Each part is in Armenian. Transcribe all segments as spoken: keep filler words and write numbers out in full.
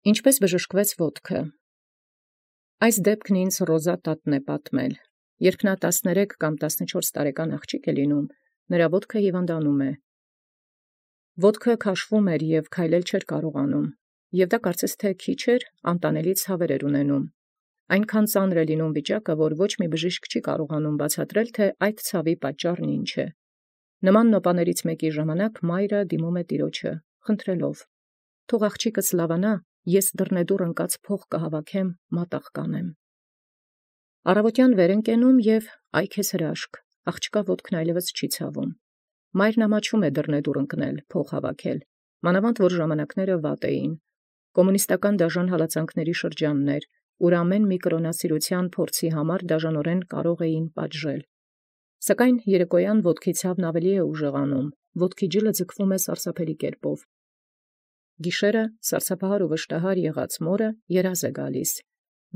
Ինչպէս բժշկուեց ոտքը։ Այս դեպքն ինձ Ռոզա տատն պատմել. երբ նա տասներեք կամ տասնչորս տարեկան աղջիկ է լինում, նրա ոտքը հիվանդանում է։ Ոտքը քաշվում էր և քայլել չէր կարողանում, և դա կարծես թե քիչ էր, անտանելի ցաւեր էր ունենում։ Այնքան ծանր է լինում վիճակը, որ ոչ մի բժիշկ չի կարողանում բացատրել, թե այդ ցավի պատճառն ինչ է։ Նման նոպաներից մեկի ժամանակ մայրը դիմում է տիրոջը, խնդրելով. «Թող աղջիկս լավանա, ես դռնեդուռ ընկած փող կհավաքեմ, մատաղ կանեմ»։ Առավոտյան վեր են կենում և այ քեզ հրաշք, աղջկա ոտքն այլևս չի ցավում։ Մայրն ամաչում է դռնեդուռ ընկնել, փող հավաքել, մանավանդ որ ժամանակները վատ էին։ Կոմունիստական դաժան հալածանքների շրջանն էր, ուր ամեն մի կրոնասիրության փորձի համար դաժանորեն կարող էին պատժել։ Սակայն երեկոյան ոտքի ցավն ավելի է ուժեղանում, ոտքի ջլը ձգվում է սարսափելի կերպով։ Գիշերը սարսափահար ու վշտահար եղած մորը երազ է գալիս։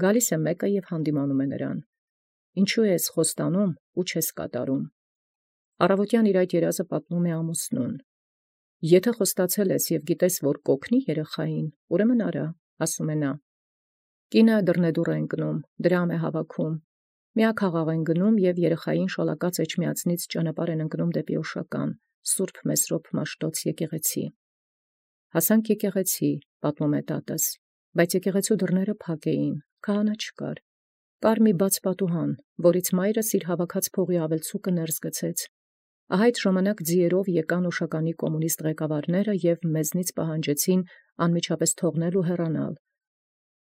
Գալիս է մեկը և հանդիմանում է նրան. «Ինչու ես խոստանում ու չես կատարում»։ Առավոտյան իր այդ երազը պատմում է ամուսնուն։ «Եթե խոստացել ես և գիտես, որ կօգնի երեխային, ուրեմն արա», ասում է նա։ Կինը դռնեդուռ է ընկնում, դրամ է հավաքում, միաքաղաք են գնում և երեխային շալակած էջմիածնից ճանապարհ են ընկնում դեպի Օշական, Սուրբ Մեսրոպ Մաշտոց եկեղեցի։ «Հասանք եկեղեցի», պատմում է տատս, բայց եկեղեցու դռները փակ էին, քահանա չկար։ Կար մի բաց պատուհան, որից մայրս իր հավաքած փողի ավելցուկը ներս գցեց։ Ահա այդ ժամանակ ձիերով եկան Օշականի կոմունիստ ղեկավարները և մեզնից պահանջեցին անմիջապես թողնել ու հեռանալ։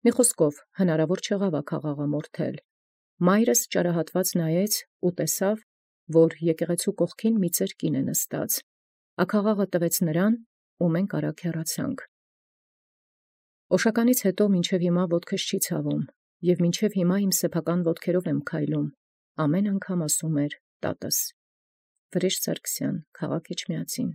Մի խոսքով, հնարավոր չեղավ աքաղաղը մորթել։ Մայրս ճարահատված նայեց ու տեսավ, որ եկեղեցու կողքին մի ծեր կին է նստած։ Աքաղաղը տվեց նրան, ու մենք արագ հեռացանք։ Օշականից հետո մինչև հիմա ոտքս չի ցավում, և մինչև հիմա իմ սեփական ոտքերով եմ քայլում, ամեն անգամ ասում էր տատս։ Վրեժ Սարգսյան, քաղաք Էջմիածին։